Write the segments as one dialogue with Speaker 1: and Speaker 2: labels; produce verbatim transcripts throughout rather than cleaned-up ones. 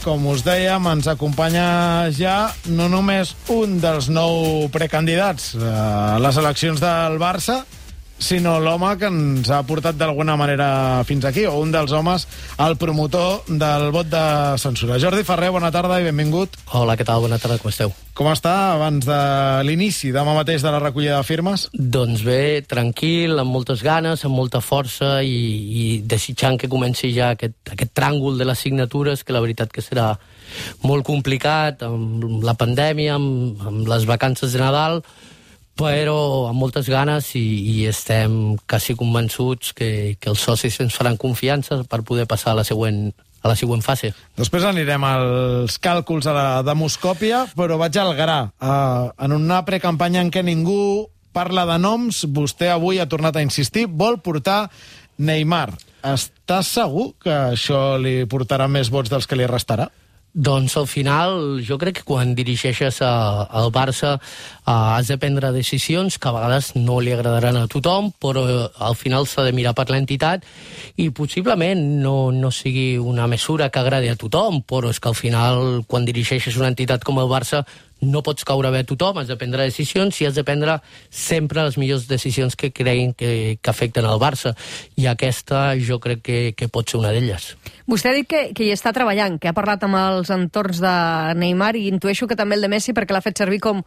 Speaker 1: com us dèiem, ens acompanya ja no només un dels nou precandidats a les eleccions del Barça, sinó l'home que ens ha portat d'alguna manera fins aquí, o un dels homes, el promotor del vot de censura. Jordi Ferrer, bona tarda i benvingut.
Speaker 2: Hola, què tal? Bona tarda, com esteu?
Speaker 1: Com està abans de l'inici, demà mateix, de la recollida de firmes?
Speaker 2: Doncs bé, tranquil, amb moltes ganes, amb molta força i, i desitjant que comenci ja aquest, aquest tràngol de les signatures, que la veritat que serà molt complicat, amb la pandèmia, amb, amb les vacances de Nadal, però amb moltes ganes i, i estem quasi convençuts que, que els socis ens faran confiança per poder passar a la següent, a la següent fase.
Speaker 1: Després anirem als càlculs a la demoscòpia, però vaig al gra. Uh, en una precampanya en què ningú parla de noms, vostè avui ha tornat a insistir, vol portar Neymar. Està segur que això li portarà més vots dels que li restarà?
Speaker 2: Doncs al final jo crec que quan dirigeixes a, al Barça uh, has de prendre decisions que a vegades no li agradaran a tothom, però uh, al final s'ha de mirar per l'entitat i possiblement no, no sigui una mesura que agradi a tothom, però és que al final quan dirigeixes una entitat com el Barça no pots caure bé a tothom, has de prendre decisions i has de prendre sempre les millors decisions que creguin que, que afecten el Barça, i aquesta jo crec que, que pot ser una d'elles.
Speaker 3: Vostè ha dit que, que hi està treballant, que ha parlat amb els entorns de Neymar, i intueixo que també el de Messi, perquè l'ha fet servir com,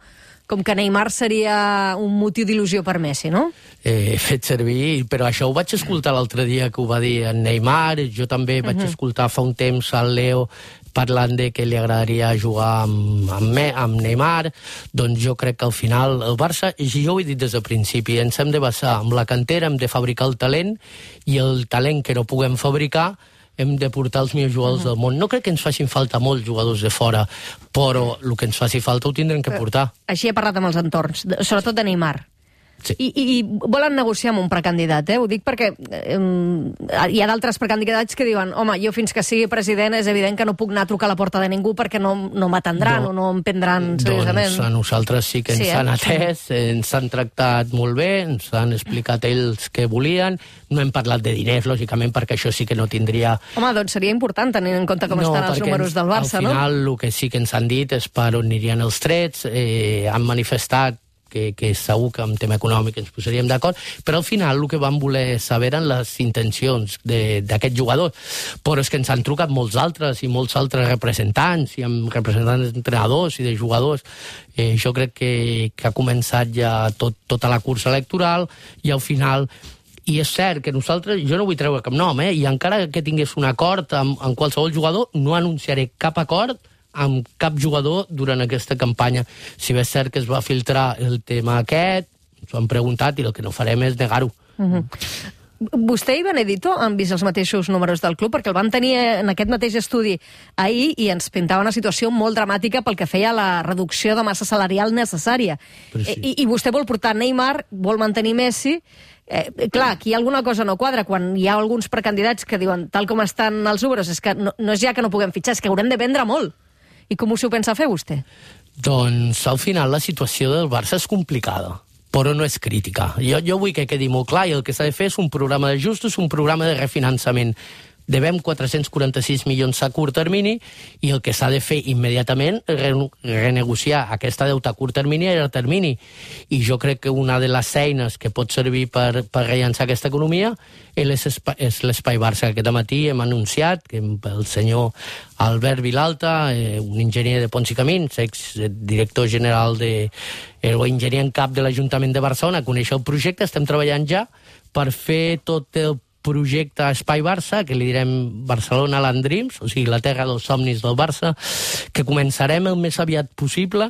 Speaker 3: com que Neymar seria un motiu d'il·lusió per Messi, no?
Speaker 2: He fet servir, però això ho vaig escoltar l'altre dia que ho va dir en Neymar, jo també vaig uh-huh. escoltar fa un temps al Leo parlant de que li agradaria jugar amb, amb, me, amb Neymar. Doncs jo crec que al final el Barça, jo ho he dit des del principi, ens hem de basar amb la cantera, hem de fabricar el talent, i el talent que no puguem fabricar hem de portar els millors jugadors uh-huh. del món. No crec que ens facin falta molts jugadors de fora, però el que ens faci falta ho tindrem que portar.
Speaker 3: Així he parlat amb els entorns, sobretot de Neymar.
Speaker 2: Sí.
Speaker 3: I, i, I volen negociar amb un precandidat, eh? Ho dic perquè eh, hi ha d'altres precandidats que diuen home, jo fins que sigui president és evident que no puc anar a trucar a la porta de ningú perquè no, no m'atendran no, o no em prendran seriosament.
Speaker 2: Doncs a nosaltres sí que ens sí, eh? han atès, ens han tractat molt bé, ens han explicat ells què volien, no hem parlat de diners, lògicament, perquè això sí que no tindria...
Speaker 3: Home, doncs seria important tenint en compte com no, estan els números
Speaker 2: ens,
Speaker 3: del Barça, no?
Speaker 2: Al final, no? El que sí que ens han dit és per on anirien els trets, eh, han manifestat que, que segur que en tema econòmic ens posaríem d'acord, però al final el que van voler saber eren les intencions d'aquest jugador. Però és que ens han trucat molts altres i molts altres representants, i amb representants d'entrenadors i de jugadors. Eh, jo crec que, que ha començat ja tot, tota la cursa electoral, i al final... I és cert que nosaltres, jo no vull treure cap nom, eh? I encara que tingués un acord amb, amb qualsevol jugador, no anunciaré cap acord amb cap jugador durant aquesta campanya. Si bé és cert que es va filtrar el tema aquest, ens ho han preguntat i el que no farem és negar-ho.
Speaker 3: Uh-huh. Vostè i Benedito han vist els mateixos números del club, perquè el van tenir en aquest mateix estudi ahir i ens pintava una situació molt dramàtica pel que feia a la reducció de massa salarial necessària. Sí. I, I vostè vol portar Neymar, vol mantenir Messi. Eh, clar, aquí alguna cosa no quadra quan hi ha alguns precandidats que diuen tal com estan els números, és que no, no és ja que no puguem fitxar, és que haurem de vendre molt. I com s'ho pensa fer vostè?
Speaker 2: Doncs al final la situació del Barça és complicada, però no és crítica. Jo, jo vull que quedi molt clar, i el que s'ha de fer és un programa d'ajustos, un programa de refinançament. Devem quatre-cents quaranta-sis milions a curt termini, i el que s'ha de fer immediatament és renegociar aquesta deuta a curt termini i a llarg termini. I jo crec que una de les eines que pot servir per, per rellançar aquesta economia és l'Espai Barça. Aquest matí hem anunciat que el senyor Albert Vilalta, eh, un enginyer de Ponts i Camins, exdirector general de, eh, o enginyer en cap de l'Ajuntament de Barcelona, coneix el projecte, estem treballant ja per fer tot el projecte Espai Barça, que li direm Barcelona Land Dreams, o sigui, la terra dels somnis del Barça, que començarem el més aviat possible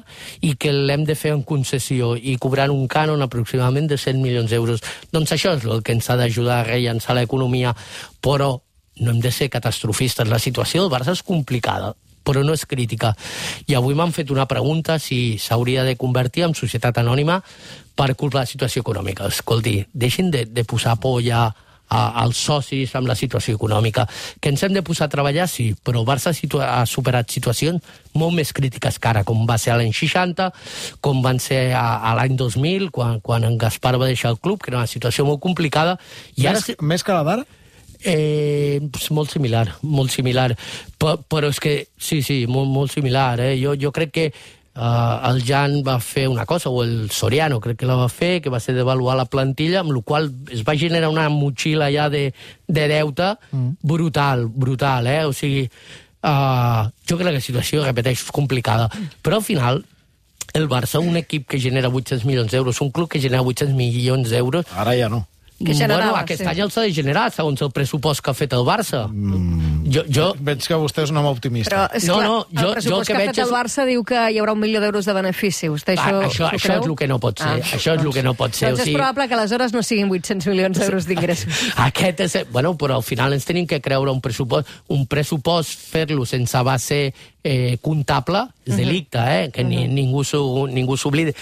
Speaker 2: i que l'hem de fer en concessió i cobrant un cànon aproximadament de cent milions d'euros. Doncs això és el que ens ha d'ajudar a rellançar l'economia, però no hem de ser catastrofistes. La situació del Barça és complicada, però no és crítica. I avui m'han fet una pregunta si s'hauria de convertir en societat anònima per culpa de la situació econòmica. Escolti, deixin de, de posar por ja als socis amb la situació econòmica. Que ens hem de posar a treballar, sí, però el Barça ha superat situacions molt més crítiques que ara, com va ser a l'any seixanta, com van ser a, a l'any dos mil, quan, quan en Gaspar va deixar el club, que era una situació molt complicada. I
Speaker 1: més,
Speaker 2: ara...
Speaker 1: més que la d'ara?
Speaker 2: Eh, molt similar, molt similar. Però, però és que, sí, sí, molt, molt similar. Eh? Jo, jo crec que uh, el Jan va fer una cosa, o el Soriano crec que la va fer, que va ser devaluar la plantilla, amb la qual es va generar una motxilla ja de, de deute mm. brutal, brutal, eh? O sigui, uh, jo crec que la situació, repeteixo, és complicada. Però al final, el Barça, un equip que genera vuit-cents milions d'euros, un club que genera vuit-cents milions d'euros...
Speaker 1: Ara ja no.
Speaker 3: Que generava,
Speaker 2: bueno, aquest
Speaker 3: sí.
Speaker 2: any el s'ha de generar, segons el pressupost que ha fet el Barça.
Speaker 1: Mm.
Speaker 2: Jo, jo...
Speaker 1: Veig que vostè és un home optimista.
Speaker 3: Però, és
Speaker 2: No,
Speaker 3: clar,
Speaker 2: no, jo-
Speaker 3: el pressupost
Speaker 2: jo el que
Speaker 3: que ha
Speaker 2: veig
Speaker 3: fet el
Speaker 2: és-
Speaker 3: Barça diu que hi haurà un milió d'euros de benefici. Vostè això,
Speaker 2: Ah, això,
Speaker 3: s'ho
Speaker 2: això
Speaker 3: creu?
Speaker 2: és el que no pot ser.
Speaker 3: Ah,
Speaker 2: això és el que no pot ser.
Speaker 3: Doncs
Speaker 2: o
Speaker 3: és
Speaker 2: sigui,
Speaker 3: probable que aleshores no siguin vuit-cents milions d'euros d'ingressos.
Speaker 2: Aquest és... Bueno, però al final ens tenim que creure un pressupost. Un pressupost, fer-lo sense base eh, comptable, és delicte, eh? Que ni, ningú s'ho- ningú s'oblidi.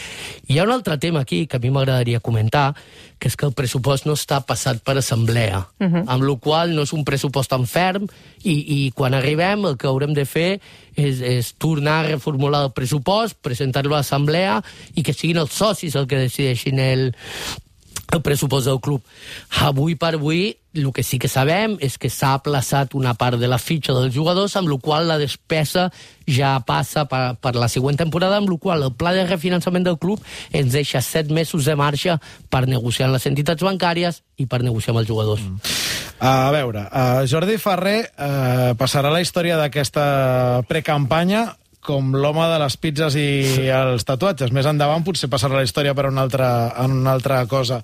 Speaker 2: Hi ha un altre tema aquí que a mi m'agradaria comentar, que és que el pressupost no està passat per assemblea, uh -huh. amb la qual no és un pressupost tan ferm i, i quan arribem el que haurem de fer és, és tornar a reformular el pressupost, presentar-lo a l'assemblea i que siguin els socis el que decideixin el, el pressupost del club. Avui per avui, el que sí que sabem és que s'ha aplaçat una part de la fitxa dels jugadors, amb la qual la despesa ja passa per, per la següent temporada, amb la qual el pla de refinançament del club ens deixa set mesos de marxa per negociar amb les entitats bancàries i per negociar amb els jugadors. Mm.
Speaker 1: A veure, uh, Jordi Ferrer uh, passarà la història d'aquesta precampanya com l'home de les pizzas i els tatuatges. Més endavant potser passarà la història per una altra, en una altra cosa.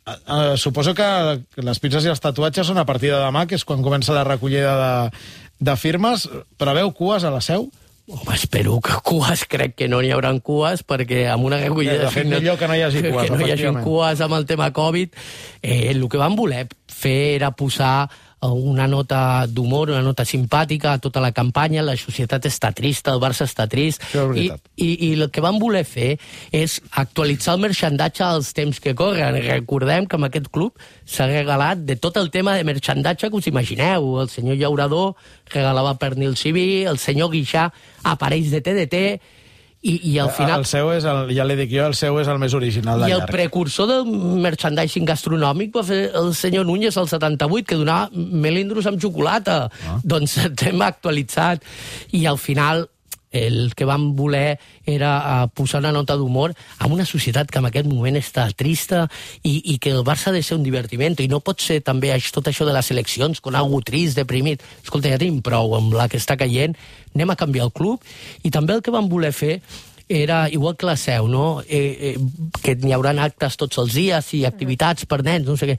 Speaker 1: Uh, uh, suposo que les pizzas i els tatuatges són a partir de demà, que és quan comença la recollida de, de firmes. Preveu cues a la Seu?
Speaker 2: Home, espero que cues, crec que no n'hi haurà cues, perquè amb una recollida
Speaker 1: De fet, millor que no hi hagi cues,
Speaker 2: que no hi hagi
Speaker 1: efectivament.
Speaker 2: cues amb el tema Covid. Eh, el que van voler fer era posar una nota d'humor, una nota simpàtica a tota la campanya. La societat està trista, el Barça està trist,
Speaker 1: Això és
Speaker 2: i,
Speaker 1: veritat.
Speaker 2: i, i el que van voler fer és actualitzar el merchandatge als temps que corren. Recordem que amb aquest club s'ha regalat de tot el tema de merchandatge que us imagineu. El senyor Llaurador regalava pernil civí, el senyor Guixà aparells de T D T, i, i al final...
Speaker 1: El seu és, el, ja li dic jo, el seu és el més original de
Speaker 2: I el
Speaker 1: llarg.
Speaker 2: precursor del merchandising gastronòmic va fer el senyor Núñez al setanta-vuit, que donava melindros amb xocolata. Ah. Doncs el tema actualitzat. I al final el que vam voler era uh, posar una nota d'humor en una societat que en aquest moment està trista i, i que el Barça ha de ser un divertiment, i no pot ser també això, tot això de les eleccions con algú trist, deprimit. Escolta, ja tenim prou amb la que està caient, anem a canviar el club. I també el que vam voler fer era, igual que la Seu, no? eh, eh, que n'hi haurà actes tots els dies i activitats per nens, no sé què.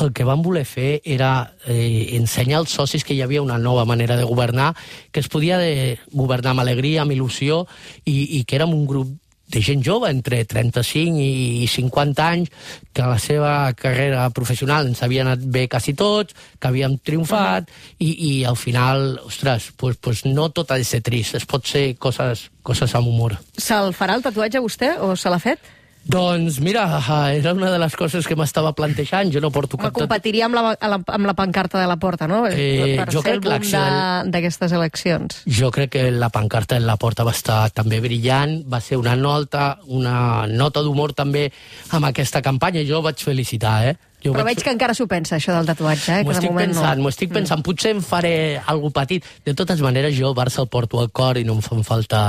Speaker 2: El que vam voler fer era eh, ensenyar als socis que hi havia una nova manera de governar, que es podia de governar amb alegria, amb il·lusió, i, i que érem un grup de gent jove, entre trenta-cinc i cinquanta anys, que a la seva carrera professional ens havia anat bé quasi tots, que havíem triomfat, i, i al final, ostres, pues, pues no tot ha de ser trist, es pot ser coses, coses amb humor.
Speaker 3: Se'l farà el tatuatge vostè o se l'ha fet?
Speaker 2: Doncs mira, era una de les coses que m'estava plantejant, jo no porto
Speaker 3: Home,
Speaker 2: cap...
Speaker 3: competiria amb la, amb la pancarta de la Porta, no?
Speaker 2: Eh,
Speaker 3: per
Speaker 2: jo
Speaker 3: ser
Speaker 2: crec
Speaker 3: el
Speaker 2: que
Speaker 3: boom
Speaker 2: l'acció
Speaker 3: de- d'aquestes eleccions.
Speaker 2: Jo crec que la pancarta en la porta va estar també brillant, va ser una nota, una nota d'humor també amb aquesta campanya, jo ho vaig felicitar, eh? Jo
Speaker 3: Però
Speaker 2: vaig...
Speaker 3: veig que encara s'ho pensa, això del tatuatge, eh?
Speaker 2: M'ho
Speaker 3: que de
Speaker 2: estic
Speaker 3: moment
Speaker 2: pensant,
Speaker 3: no.
Speaker 2: m'ho estic pensant. Mm. Potser em faré algo petit. De totes maneres, jo el Barça el porto al cor i no em fan falta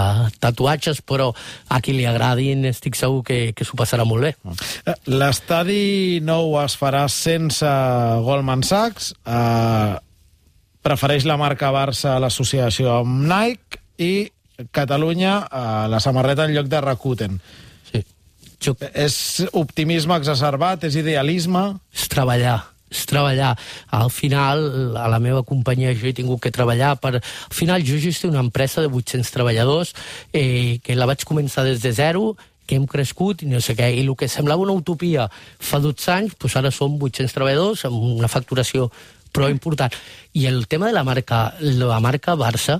Speaker 2: tatuatges, però a qui li agradin estic segur que, que s'ho passarà molt bé.
Speaker 1: L'estadi nou es farà sense Goldman Sachs, eh, prefereix la marca Barça a l'associació amb Nike i Catalunya eh, la samarreta en lloc de Rakuten.
Speaker 2: Jo...
Speaker 1: És optimisme exacerbat, és idealisme?
Speaker 2: És treballar, és treballar. Al final, a la meva companyia jo he tingut que treballar per... Al final jo gestiono una empresa de vuit-cents treballadors eh, que la vaig començar des de zero, que hem crescut i no sé què, i el que semblava una utopia fa dotze anys, doncs ara som vuit-cents treballadors amb una facturació prou important. I el tema de la marca, la marca Barça,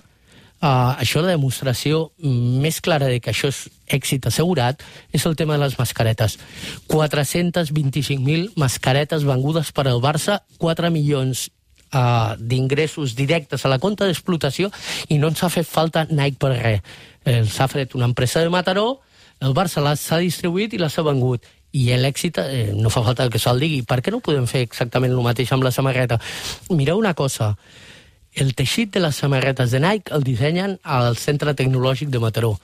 Speaker 2: Uh, això la demostració més clara de que això és èxit assegurat és el tema de les mascaretes. quatre-cents vint-i-cinc mil mascaretes vengudes per al Barça, quatre milions uh, d'ingressos directes a la compta d'explotació, i no ens ha fet falta Nike per res. Eh, s'ha fet una empresa de Mataró, el Barça l'ha distribuït i les ha vengut. i l'èxit eh, no fa falta que se'l digui. Per què no podem fer exactament el mateix amb la samarreta? Mireu una cosa, el teixit de les samarretes de Nike el dissenyen al Centre Tecnològic de Mataró.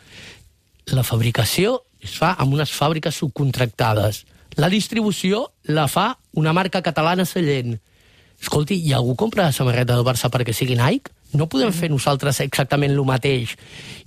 Speaker 2: La fabricació es fa amb unes fàbriques subcontractades. La distribució la fa una marca catalana Sallent. Escolti, i algú compra la samarreta del Barça perquè sigui Nike? No podem fer nosaltres exactament el mateix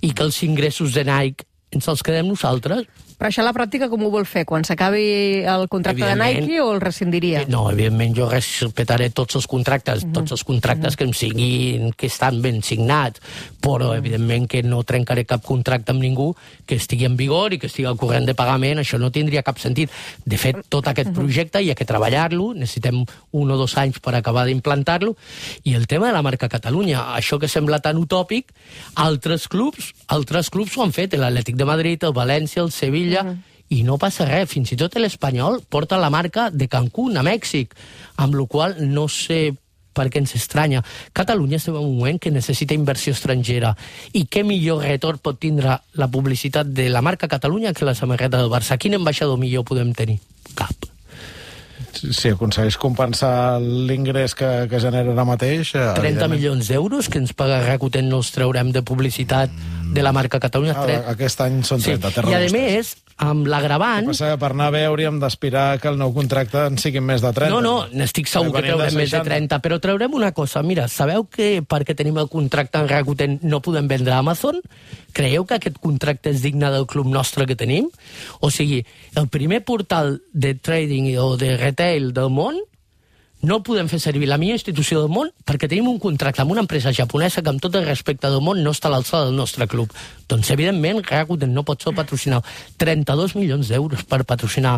Speaker 2: i que els ingressos de Nike ens els quedem nosaltres?
Speaker 3: Però això a la pràctica com ho vol fer? Quan s'acabi el contracte de Nike o el rescindiria?
Speaker 2: No, evidentment jo respetaré tots els contractes, mm-hmm. tots els contractes mm-hmm. que em siguin, que estan ben signats, però mm-hmm. evidentment que no trencaré cap contracte amb ningú que estigui en vigor i que estigui al corrent de pagament, això no tindria cap sentit. De fet, tot aquest mm-hmm. projecte hi ha que treballar-lo, necessitem un o dos anys per acabar d'implantar-lo, i el tema de la marca Catalunya, això que sembla tan utòpic, altres clubs, altres clubs ho han fet, l'Atlètic de Madrid, el València, el Sevilla, Mm. i no passa res, fins i tot l'Espanyol porta la marca de Cancún a Mèxic, amb la qual no sé per què ens estranya. Catalunya estem en un moment que necessita inversió estrangera, i què millor retorn pot tindre la publicitat de la marca Catalunya que la samarreta del Barça? Quin ambaixador millor podem tenir? Cap.
Speaker 1: Si aconsegueix compensar l'ingrés que, que genera ara mateix...
Speaker 2: trenta milions d'euros que ens paga Rakuten no els traurem de publicitat de la marca Catalunya.
Speaker 1: Ah, aquest any són trenta,
Speaker 2: sí. I a més, amb l'agravant...
Speaker 1: Que passa que per anar bé hauríem d'aspirar que el nou contracte en siguin més de trenta.
Speaker 2: No, no, n'estic segur que traurem més de trenta, però traurem una cosa. Mira, sabeu que perquè tenim el contracte en Rakuten no podem vendre a Amazon? Creieu que aquest contracte és digne del club nostre que tenim? O sigui, el primer portal de trading o de retail del món no podem fer servir la millor institució del món perquè tenim un contracte amb una empresa japonesa que amb tot el respecte del món no està a l'alçada del nostre club. Doncs, evidentment, Rakuten no pot ser patrocinar trenta-dos milions d'euros per patrocinar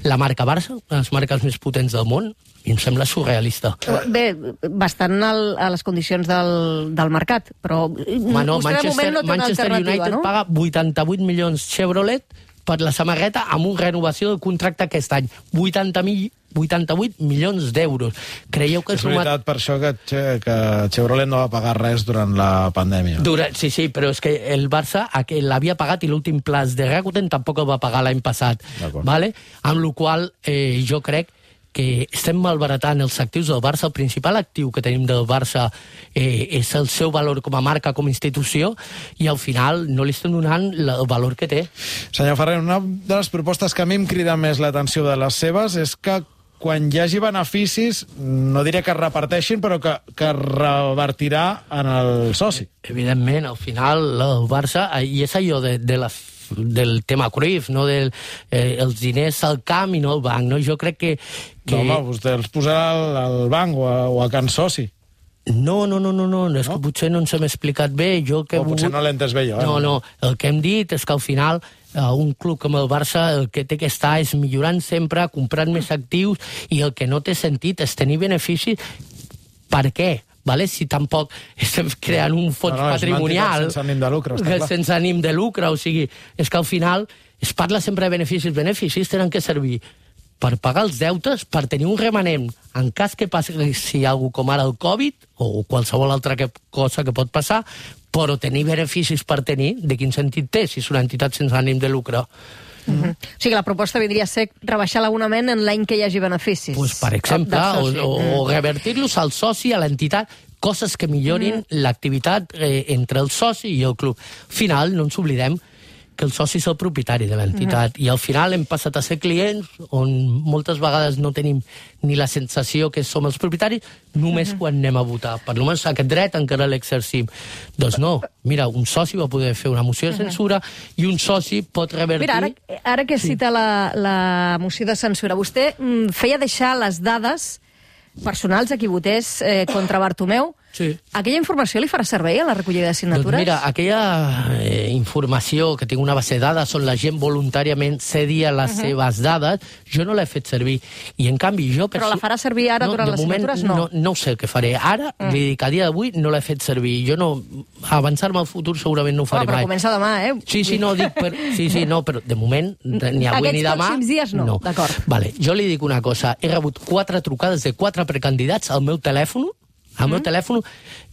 Speaker 2: la marca Barça, una de les marques més potents del món, i em sembla surrealista.
Speaker 3: Bé, bastant al, a les condicions del, del mercat, però
Speaker 2: Ma no,
Speaker 3: vostè de moment no té una
Speaker 2: Manchester
Speaker 3: alternativa,
Speaker 2: United
Speaker 3: no?
Speaker 2: paga vuitanta-vuit milions Chevrolet per la samarreta amb una renovació del contracte aquest any. vuitanta-vuit milions d'euros. Creieu que
Speaker 1: és veritat, per això que, que Chevrolet no va pagar res durant la pandèmia.
Speaker 2: Durant, sí, sí, però és que el Barça l'havia pagat i l'últim plaç de Rakuten tampoc el va pagar l'any passat. Vale? Amb la qual eh, jo crec que estem malbaratant els actius del Barça. El principal actiu que tenim del Barça eh, és el seu valor com a marca, com a institució, i al final no li estem donant el valor que té.
Speaker 1: Senyor Ferrer, una de les propostes que a mi em crida més l'atenció de les seves és que quan hi hagi beneficis, no diré que es reparteixin, però que, que revertirà en el soci.
Speaker 2: Evidentment, al final el Barça, i és allò de, de la del tema Cruyff, no del eh, els diners al camp i no al banc, no? Jo crec que... que...
Speaker 1: No, home, vostè els posarà al, al banc o a, o a Can Soci.
Speaker 2: No, no, no, no, no, és no? que potser no ens hem explicat bé. Jo que
Speaker 1: o potser vull... no l'he entès bé jo. Eh?
Speaker 2: No, no, el que hem dit és que al final eh, un club com el Barça el que té que estar és millorant sempre, comprant més actius, i el que no té sentit és tenir beneficis. Per què? Vale? Si tampoc estem creant un fons no, no, patrimonial
Speaker 1: sense ànim de lucre, està clar.
Speaker 2: sense ànim de lucre, o sigui, és que al final es parla sempre de beneficis. Beneficis tenen que servir per pagar els deutes, per tenir un remanent en cas que passi si hi ha alguna com ara el Covid o qualsevol altra que, cosa que pot passar, però tenir beneficis per tenir, de quin sentit té si és una entitat sense ànim de lucre?
Speaker 3: Mm-hmm. O sigui, la proposta vindria a ser rebaixar l'abonament en l'any que hi hagi beneficis.
Speaker 2: Pues, per exemple, o, o, o revertir-los al soci, a l'entitat, coses que millorin mm. l'activitat eh, entre el soci i el club. Al final, no ens oblidem que el soci és el propietari de l'entitat, mm. i al final hem passat a ser clients on moltes vegades no tenim ni la sensació que som els propietaris, només mm. quan anem a votar. Per almenys aquest dret encara l'exercim. Doncs no, mira, un soci va poder fer una moció de censura mm. i un soci pot revertir...
Speaker 3: Mira, ara, ara que cita sí. la, la moció de censura, vostè mm, feia deixar les dades personals a qui votés eh, contra Bartomeu.
Speaker 2: Sí.
Speaker 3: Aquella informació li farà servei a la recollida de signatures?
Speaker 2: Doncs mira, aquella eh, informació que tinc una base de dades on la gent voluntàriament cedia les uh -huh. seves dades, jo no l'he fet servir. I en canvi jo...
Speaker 3: Però la farà servir ara
Speaker 2: no,
Speaker 3: durant les
Speaker 2: moment,
Speaker 3: signatures? No.
Speaker 2: no. No sé què faré. Ara, uh -huh. li dic, a dia d'avui no l'he fet servir. Jo no... Avançar-me al futur segurament no ho faré
Speaker 3: oh, però
Speaker 2: mai.
Speaker 3: Però comença demà, eh?
Speaker 2: Sí, sí, no, dic... Per... Sí, sí, no, però de moment, ni avui ni demà...
Speaker 3: Aquests pròxims dies no, no. d'acord.
Speaker 2: Vale, jo li dic una cosa. He rebut quatre trucades de quatre precandidats al meu telèfon, Al meu telèfon,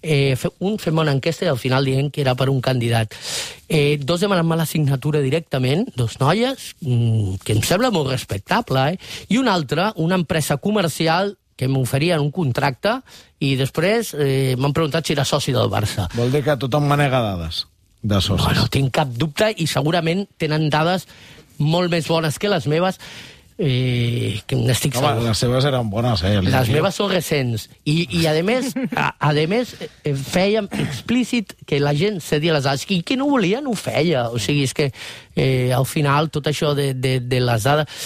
Speaker 2: eh, un fem una enquesta i al final dient que era per un candidat. Eh, dos demanen-me la signatura directament, dos noies, mmm, que em sembla molt respectable, eh? I una altra, una empresa comercial que m'oferien un contracte i després eh, m'han preguntat si era soci del Barça.
Speaker 1: Vol dir que tothom manega dades de socis.
Speaker 2: No, no tinc cap dubte i segurament tenen dades molt més bones que les meves. Eh, que n'estic
Speaker 1: Home,
Speaker 2: segur.
Speaker 1: les seves eren bones, eh?
Speaker 2: Les meves són recents. I, i a més, a, a més, eh, fèiem explícit que la gent cedia les dades. I qui no volia, no ho feia. O sigui, és que eh, al final tot això de, de, de les dades,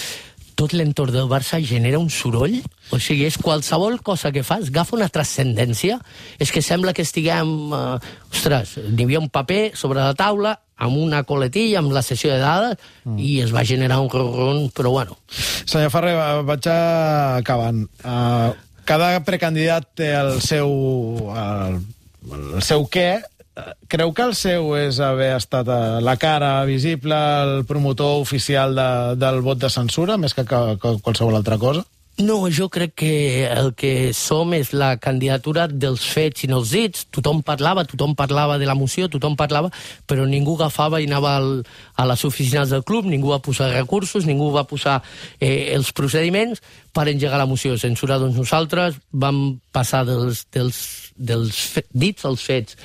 Speaker 2: tot l'entorn del Barça genera un soroll. O sigui, és qualsevol cosa que fas, agafa una transcendència. És que sembla que estiguem... Eh, ostres, n'hi havia un paper sobre la taula amb una coletilla, amb la sessió de dades, mm. i es va generar un ron, però bueno.
Speaker 1: Senyor Ferrer, vaig acabant. Uh, cada precandidat té el seu, el, el seu què. Creu que el seu és haver estat la cara visible, el promotor oficial de, del vot de censura, més que, que, que qualsevol altra cosa?
Speaker 2: No, jo crec que el que som és la candidatura dels fets i no els dits. Tothom parlava, tothom parlava de la moció, tothom parlava, però ningú agafava i anava al, a les oficines del club, ningú va posar recursos, ningú va posar eh, els procediments per engegar la moció de censura. Doncs nosaltres vam passar dels, dels, dels fe, dits als fets.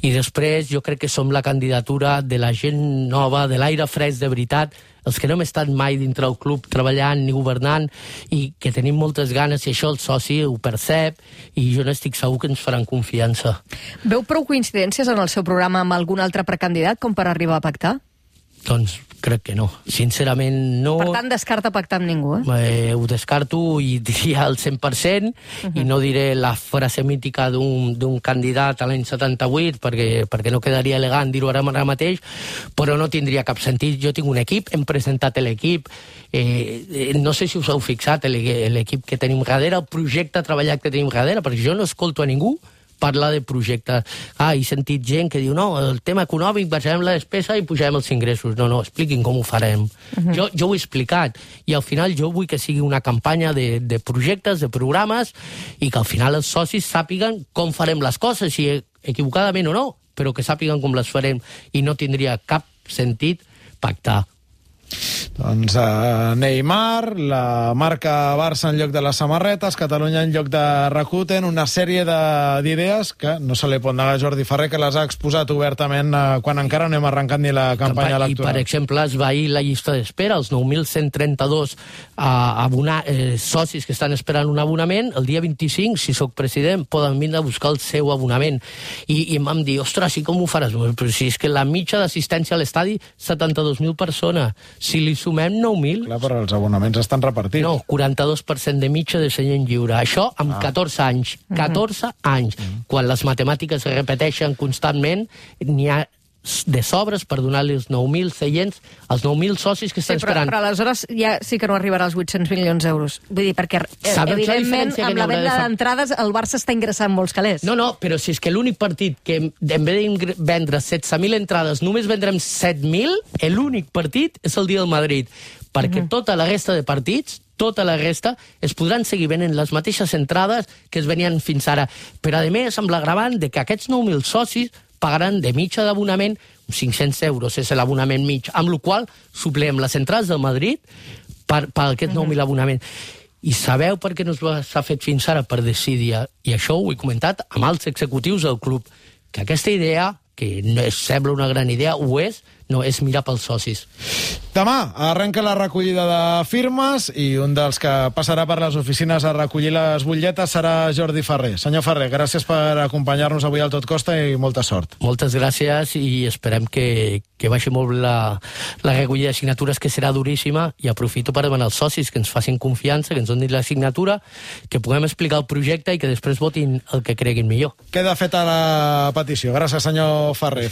Speaker 2: I després jo crec que som la candidatura de la gent nova, de l'aire fresc de veritat, els que no hem estat mai dintre el club treballant ni governant i que tenim moltes ganes i això el soci ho percep i jo n'estic segur que ens faran confiança.
Speaker 3: Veu prou coincidències en el seu programa amb algun altre precandidat com per arribar a pactar?
Speaker 2: Doncs crec que no. Sincerament, no.
Speaker 3: Per tant, descarta pactar amb ningú, eh?
Speaker 2: eh ho descarto i diria el cent per cent, uh -huh. i no diré la frase mítica d'un candidat a l'any setanta-vuit, perquè, perquè no quedaria elegant dir-ho ara, ara mateix, però no tindria cap sentit. Jo tinc un equip, hem presentat l'equip, eh, eh, no sé si us heu fixat l'equip que tenim darrere, el projecte treballat que tenim darrere, perquè jo no escolto a ningú parlar de projectes. Ah, he sentit gent que diu, no, el tema econòmic, baixarem la despesa i pujarem els ingressos. No, no, expliquin com ho farem. Uh -huh. jo, jo ho he explicat, i al final jo vull que sigui una campanya de, de projectes, de programes, i que al final els socis sàpiguen com farem les coses, si equivocadament o no, però que sàpiguen com les farem, i no tindria cap sentit pactar.
Speaker 1: Doncs uh, Neymar, la marca Barça en lloc de les samarretes, Catalunya en lloc de Rakuten, una sèrie d'idees que no se li pot negar a Jordi Ferrer, que les ha exposat obertament uh, quan encara no hem arrencat ni la campanya electoral.
Speaker 2: I, per exemple, es va ahir la llista d'espera, els nou mil cent trenta-dos uh, abonar, eh, socis que estan esperant un abonament. El dia vint-i-cinc, si sóc president, poden vindre a buscar el seu abonament. I, i em vam dir, ostres, i com ho faràs? Però si és que la mitja d'assistència a l'estadi, setanta-dos mil persones. Si li sumem nou mil...
Speaker 1: Clar, però els abonaments estan repartits.
Speaker 2: No, quaranta-dos per cent de mitja de seient lliure. Això amb ah. catorze anys. catorze uh-huh. anys. Uh-huh. Quan les matemàtiques es repeteixen constantment, n'hi ha de sobres per donar-li els nou mil seients als nou mil socis que estan
Speaker 3: sí, però,
Speaker 2: esperant.
Speaker 3: Però aleshores ja sí que no arribarà als vuit-cents milions d'euros. Vull dir, perquè
Speaker 2: Sabeu
Speaker 3: evidentment
Speaker 2: la
Speaker 3: amb la venda d'entrades el Barça està ingressant molts calés.
Speaker 2: No, no, però si és que l'únic partit que en vez de vendre setze mil entrades només vendrem set mil, l'únic partit és el dia del Madrid. Perquè uh-huh. tota la resta de partits, tota la resta, es podran seguir venent les mateixes entrades que es venien fins ara. Però, a més, amb l'agravant de que aquests nou mil socis pagaran de mitja d'abonament cinc-cents euros, és l'abonament mig, amb la qual suplem les entrades del Madrid per, per aquests nou mil abonaments. I sabeu per què no s'ha fet fins ara? Per decidir, i això ho he comentat amb alts executius del club, que aquesta idea, que no és, sembla una gran idea, ho és, no, és mirar pels socis.
Speaker 1: Demà arrenca la recollida de firmes i un dels que passarà per les oficines a recollir les butlletes serà Jordi Ferrer. Senyor Ferrer, gràcies per acompanyar-nos avui al Tot Costa i molta sort.
Speaker 2: Moltes gràcies i esperem que, que baixi molt la, la recollida de signatures, que serà duríssima, i aprofito per demanar als socis que ens facin confiança, que ens donin la signatura, que puguem explicar el projecte i que després votin el que creguin millor.
Speaker 1: Queda feta la petició. Gràcies, senyor Ferrer.